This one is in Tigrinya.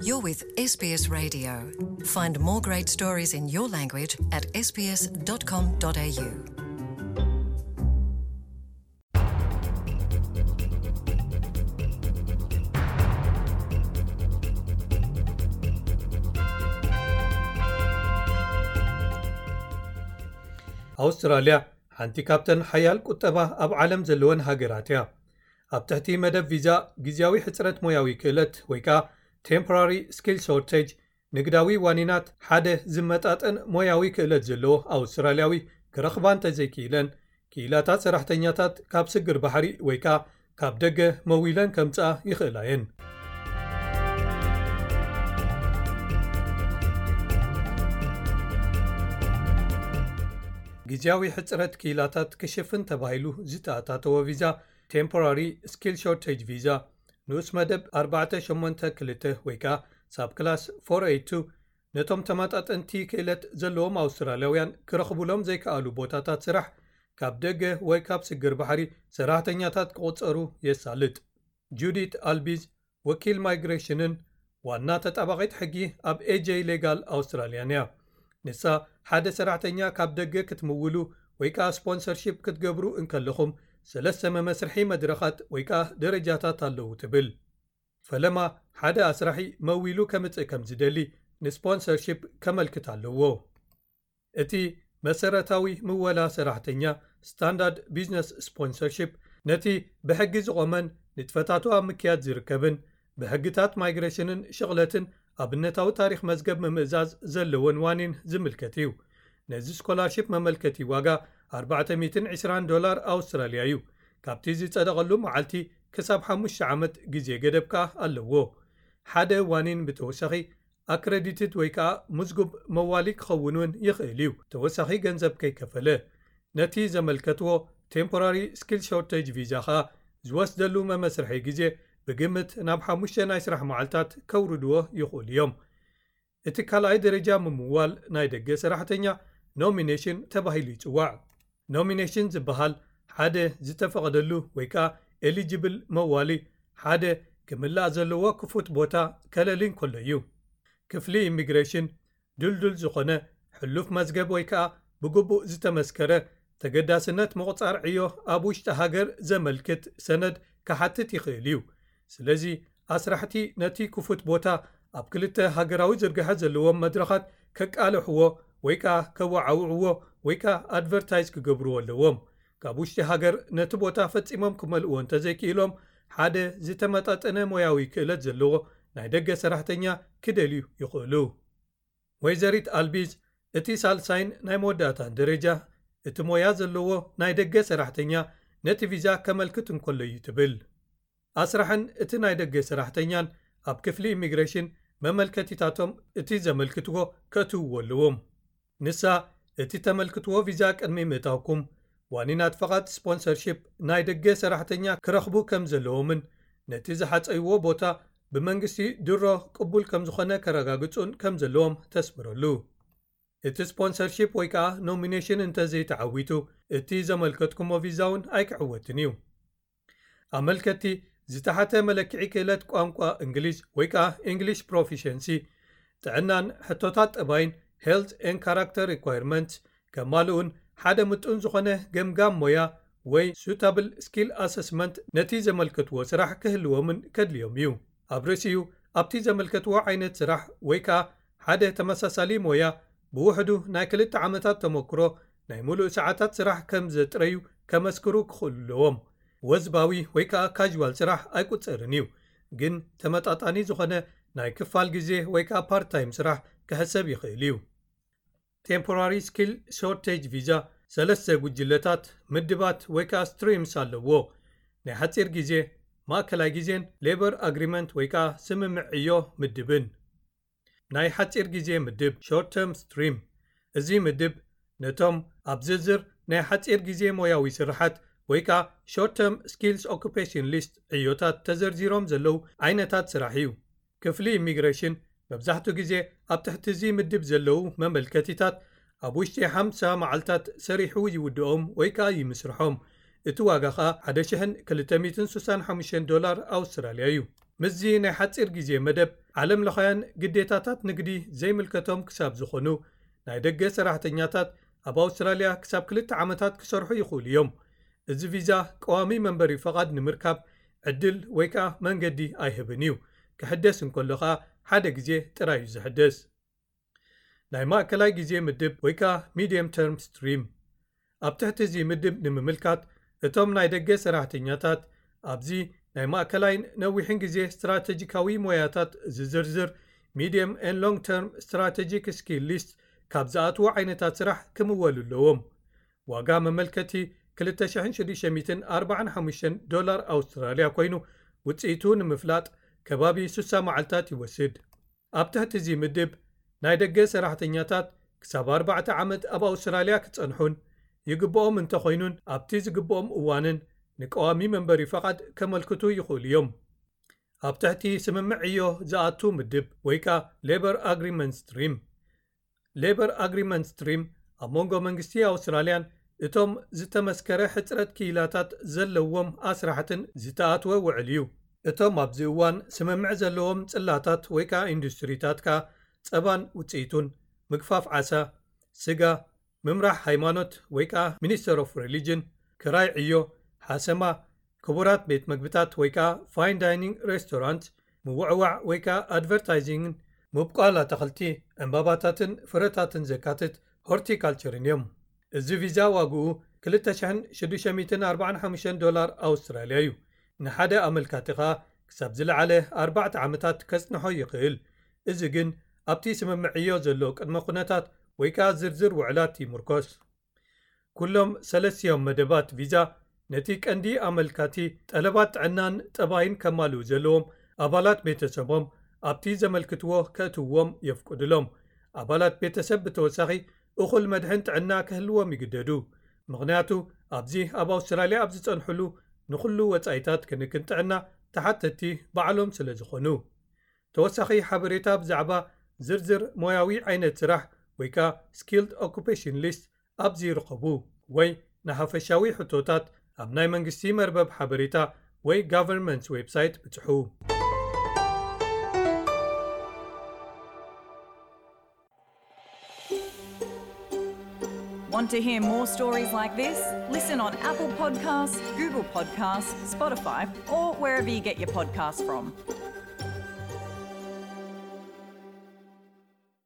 You're with S B S Radio. Find more great stories in your language at S B S dot com dot A U. ኣውስትራልያ ሓንቲ ካብተን ሓያል ቁጠባ ኣብ ዓለም ዘለወን ሃገራት እያ። ኣብ ትሕቲ መደብ ቪዛ ግዝያዊ ሕጽረት ሞያዊ ክእለት ወይ ከኣ ቴምፖራሪ ስኪል ሾርቴጅ ንግዳዊ ዋኒናት ሓደ ዝመጣጠን ሞያዊ ክእለት ዘለዎ ኣውስትራልያዊ ክረኽባ እንተዘይክኢለን፣ ክኢላታት ሰራሕተኛታት ካብ ስግር ባሕሪ ወይ ከኣ ካብ ደገ መዊለን ከምጽኣ ይኽእላ እየን። ግዝያዊ ሕጽረት ክኢላታት ክሽፍን ተባሂሉ ዝተኣታተወ ቪዛ፣ ቴምፖራሪ ስኪል ሾርቴጅ ቪዛ፣ ንኡስ መደብ ኣርባዕተ ሸሞንተ ክልተ ወይ ከኣ ሳብ ክላስ ፎር ኤይት ቱ፣ ነቶም ተመጣጠንቲ ክእለት ዘለዎም ኣውስትራልያውያን ክረኽቡሎም ዘይከኣሉ ቦታታት ስራሕ ካብ ደገ ወይ ካብ ስግር ባሕሪ ሰራሕተኛታት ክቑጸሩ የሳልጥ። ጁዲት ኣልቢዝ፣ ወኪል ማይግሬሽንን ዋና ተጣባቒት ሕጊ ኣብ ኤ ጀይ ሌጋል ኣውስትራልያን እያ። ንሳ፣ ሓደ ሰራሕተኛ ካብ ደገ ክትምውሉ ወይ ከኣ ስፖንሰርሺፕ ክትገብሩ እንከለኹም፣ ሰለስተ መመስርሒ መድረኻት ወይ ከኣ ደረጃታት ኣለዉ ትብል። ፈለማ፣ ሓደ ኣስራሒ መዊሉ ከምጽእ ከም ዝደሊ ንስፖንሰርሺፕ ከመልክት ኣለዎ። እቲ መሰረታዊ ምወላ ሰራሕተኛ፣ ስታንዳርድ ቢዝነስ ስፖንሰርሺፕ፣ ነቲ ብሕጊ ዝቖመን ንጥፈታቱ ኣብ ምክያድ ዝርከብን፣ ብሕግታት ማይግሬሽንን ሽቕለትን ኣብነታዊ ታሪኽ መዝገብ ምምእዛዝ ዘለዎን ዋኒን ዝምልከት እዩ። ነዚ ስኮላርሺፕ መመልከቲ ዋጋ ኣርባዕተ ሚእትን ዕስራን ዶላር ኣውስትራልያ እዩ። ካብቲ ዝጸደቐሉ መዓልቲ ክሳብ ሓሙሽተ ዓመት ግዜ ገደብ ከኣ ኣለዎ። ሓደ ዋኒን ብተወሳኺ ኣክረዲትድ ወይ ከኣ ምዝጉብ መዋሊ ክኸውን እውን ይኽእል እዩ፣ ተወሳኺ ገንዘብ ከይከፈለ። ነቲ ዘመልከትዎ ቴምፖራሪ ስኪል ሾርቴጅ ቪዛ ከኣ ዝወስደሉ መመስርሒ ግዜ ብግምት ናብ ሓሙሽተ ናይ ስራሕ መዓልታት ከውርድዎ ይኽእሉ እዮም። እቲ ካልኣይ ደረጃ ምምዋል ናይ ደገ ሰራሕተኛ ኖሚኔሽን ተባሂሉ ይጽዋዕ። ኖሚኔሽን ዝበሃል ሓደ ዝተፈቐደሉ ወይ ከኣ ኤሊጅብል መዋሊ፣ ሓደ ክምላእ ዘለዎ ክፉት ቦታ ከለሊ እንከሎ እዩ። ክፍሊ ኢሚግሬሽን ድልዱል ዝኾነ ሕሉፍ መዝገብ ወይ ከኣ ብግቡእ ዝተመስከረ ተገዳስነት ምቑጻር ዕዮ ኣብ ውሽጢ ሃገር ዘመልክት ሰነድ ክሓትት ይኽእል እዩ። ስለዚ ኣስራሕቲ ነቲ ክፉት ቦታ ኣብ ክልተ ሃገራዊ ዝርግሐ ዘለዎም መድረኻት ከቃልሕዎ ወይ ከኣ ከወዓውዕዎ ወይ ከኣ ኣድቨርታይዝ ክገብርዎ ኣለዎም። ካብ ውሽጢ ሃገር ነቲ ቦታ ፈጺሞም ክመልእዎ እንተዘይክኢሎም፣ ሓደ ዝተመጣጠነ ሞያዊ ክእለት ዘለዎ ናይ ደገ ሰራሕተኛ ክደልዩ ይኽእሉ። ወይዘሪት ኣልቢዝ፣ እቲ ሳልሳይን ናይ መወዳእታን ደረጃ፣ እቲ ሞያ ዘለዎ ናይ ደገ ሰራሕተኛ ነቲ ቪዛ ከመልክት እንከሎ እዩ ትብል። ኣስራሕን እቲ ናይ ደገ ሰራሕተኛን ኣብ ክፍሊ ኢሚግሬሽን መመልከቲታቶም እቲ ዘመልክትዎ ከእትውዎ ኣለዎም። ንሳ፣ እቲ ተመልክትዎ ቪዛ ቅድሚ ምእታውኩም፣ ዋኒናት ፈቓድ ስፖንሰርሺፕ ናይ ደገ ሰራሕተኛ ክረኽቡ ከም ዘለዎምን ነቲ ዝሓጸይዎ ቦታ ብመንግስቲ ድሮ ቅቡል ከም ዝኾነ ከረጋግጹን ከም ዘለዎም ተስምረሉ። እቲ ስፖንሰርሺፕ ወይ ከኣ ኖሚኔሽን እንተዘይተዓዊቱ፣ እቲ ዘመልከትኩሞ ቪዛ እውን ኣይክዕወትን እዩ። ኣመልከቲ ዝተሓተ መለክዒ ክእለት ቋንቋ እንግሊዝ ወይ ከኣ English Proficiency፣ ጥዕናን ሕቶታት ጠባይን፣ Health and Character Requirements፣ ከማልኡን ሓደ ምጡን ዝኾነ ገምጋም ሞያ ወይ Suitable Skill Assessment ነቲ ዘመልከትዎ ስራሕ ክህልዎምን ከድልዮም እዩ። ኣብ ርእሲኡ፣ ኣብቲ ዘመልከትዎ ዓይነት ስራሕ ወይ ከኣ ሓደ ተመሳሳሊ ሞያ ብውሕዱ ናይ ክልተ ዓመታት ተመክሮ ናይ ሙሉእ ሰዓታት ስራሕ ከም ዘጥረዩ ከመስክሩ ክኽእሉ ኣለዎም። ወዝባዊ ወይ ከኣ ካዥዋል ስራሕ ኣይቁጸርን እዩ፣ ግን ተመጣጣኒ ዝኾነ ናይ ክፋል ግዜ ወይ ከኣ ፓርት ታይም ስራሕ ክሕሰብ ይኽእል እዩ። ቴምፖራሪ ስኪል ሾርቴጅ ቪዛ ሰለስተ ጉጅለታት፣ ምድባት ወይ ከኣ ስትሪምስ ኣለዎ። ናይ ሓጺር ግዜ፣ ማእከላይ ግዜን ሌበር ኣግሪመንት ወይ ከኣ ስምምዕ ዕዮ ምድብን። ናይ ሓጺር ግዜ ምድብ፣ ሾርት ተርም ስትሪም። እዚ ምድብ ነቶም ኣብ ዝርዝር ናይ ሓጺር ግዜ ሞያዊ ስርሓት ወይ ከኣ ሾርት ተርም ስኪልስ ኦኩፔሽን ሊስት ዕዮታት ተዘርዚሮም ዘለዉ ዓይነታት ስራሕ እዩ። ክፍሊ ኢሚግሬሽን መብዛሕትኡ ግዜ ኣብ ትሕቲ እዚ ምድብ ዘለዉ መመልከቲታት ኣብ ውሽጢ ሓምሳ መዓልታት ሰሪሑ ይውድኦም ወይ ከኣ ይምስርሖም። እቲ ዋጋ ከኣ ሓደ ሽሕን ክልተ ሚእትን ስሳን ሓሙሽተን ዶላር ኣውስትራልያ እዩ። ምስዚ ናይ ሓጺር ግዜ መደብ፣ ዓለም ለኻውያን ግዴታታት ንግዲ ዘይምልከቶም ክሳብ ዝኾኑ ናይ ደገ ሰራሕተኛታት ኣብ ኣውስትራልያ ክሳብ ክልተ ዓመታት ክሰርሑ ይኽእሉ እዮም። እዚ ቪዛ ቀዋሚ መንበሪ ፈቓድ ንምርካብ ዕድል ወይ ከኣ መንገዲ ኣይህብን እዩ። ክሕደስ እንከሎ ከኣ ሓደ ግዜ ጥራይ እዩ ዝሕደስ። ናይ ማእከላይ ግዜ ምድብ ወይ ከኣ ሚድየም ተርም ስትሪም። ኣብ ትሕቲ እዚ ምድብ ንምምልካት፣ እቶም ናይ ደገ ሰራሕተኛታት ኣብዚ ናይ ማእከላይን ነዊሕን ግዜ ስትራተጂካዊ ሞያታት ዝዝርዝር ሚድየም ኤን ሎንግ ተርም ስትራተጂክ ስኪል ሊስት ካብ ዝኣትዉ ዓይነታት ስራሕ ክምወሉ ኣለዎም። ዋጋ መመልከቲ ክልተ ሽሕን ሽዱሽተ ሚእትን ኣርባዓን ሓሙሽተን ዶላር ኣውስትራልያ ኮይኑ፣ ውጽኢቱ ንምፍላጥ ከባቢ ስሳ መዓልታት ይወስድ። ኣብ ትሕቲ እዚ ምድብ፣ ናይ ደገ ሰራሕተኛታት ክሳብ ኣርባዕተ ዓመት ኣብ ኣውስትራልያ ክጸንሑን ይግብኦም እንተኾይኑን፣ ኣብቲ ዝግብኦም እዋንን ንቀዋሚ መንበሪ ፈቓድ ከመልክቱ ይኽእሉ እዮም። ኣብ ትሕቲ ስምምዕ ዕዮ ዝኣቱ ምድብ ወይ ከኣ ሌበር ኣግሪመንት ስትሪም። ሌበር ኣግሪመንት ስትሪም ኣብ መንጎ መንግስቲ ኣውስትራልያን እቶም ዝተመስከረ ሕጽረት ክኢላታት ዘለዎም ኣስራሕትን ዝተኣትወ ውዕል እዩ። እቶም ኣብዚ እዋን ስምምዕ ዘለዎም ጽላታት ወይ ከኣ ኢንዱስትሪታት ከኣ ጸባን ውጽኢቱን፣ ምግፋፍ ዓሳ፣ ስጋ፣ ምምራሕ ሃይማኖት ወይ ከኣ ሚኒስተር ኦፍ ሪሊጅን፣ ክራይ ዕዮ፣ ሓሰማ፣ ክቡራት ቤት መግብታት ወይ ከኣ ፋይን ዳይኒንግ ሬስቶራንት፣ ምውዕዋዕ ወይ ከኣ ኣድቨርታይዚንግን፣ ምብቋል ኣታኽልቲ፣ ዕምባባታትን ፍረታትን ዘካትት ሆርቲካልቸርን እዮም። እዚ ቪዛ ዋግኡ ክልተ ሽሕን ሽዱሽተ ሚእትን ኣርባዓን ሓሙሽተን ዶላር ኣውስትራልያ እዩ። ንሓደ ኣመልካቲ ከኣ ክሳብ ዝለዓለ ኣርባዕተ ዓመታት ከጽንሖ ይኽእል። እዚ ግን ኣብቲ ስምምዕ ዕዮ ዘሎ ቅድመ ኩነታት ወይ ከኣ ዝርዝር ውዕላት ይምርኮስ። ኩሎም ሰለስቲኦም መደባት ቪዛ ነቲ ቀንዲ ኣመልካቲ ጠለባት ጥዕናን ጠባይን ከማልኡ ዘለዎም ኣባላት ቤተሰቦም ኣብቲ ዘመልክትዎ ከእትውዎም የፍቅዱሎም። ኣባላት ቤተሰብ ብተወሳኺ እኹል መድሕን ጥዕና ክህልዎም ይግደዱ። ምኽንያቱ ኣብዚ ኣብ ኣውስትራልያ ኣብ ዝጸንሕሉ ንኹሉ ወጻኢታት ክንክን ጥዕና ተሓተቲ ባዕሎም ስለ ዝኾኑ። ተወሳኺ ሓበሬታ ብዛዕባ ዝርዝር ሞያዊ ዓይነት ስራሕ ወይ ከኣ ስኪልድ ኦኩፔሽን ሊስት ኣብዚ ይርከቡ፣ ወይ ንሓፈሻዊ ሕቶታት ኣብ ናይ መንግስቲ መርበብ ሓበሬታ ወይ ጋቨርንመንትስ ዌብሳይት ብጽሑ። Want to hear more stories like this? Listen on Apple Podcasts, Google Podcasts, Spotify, or wherever you get your podcasts from.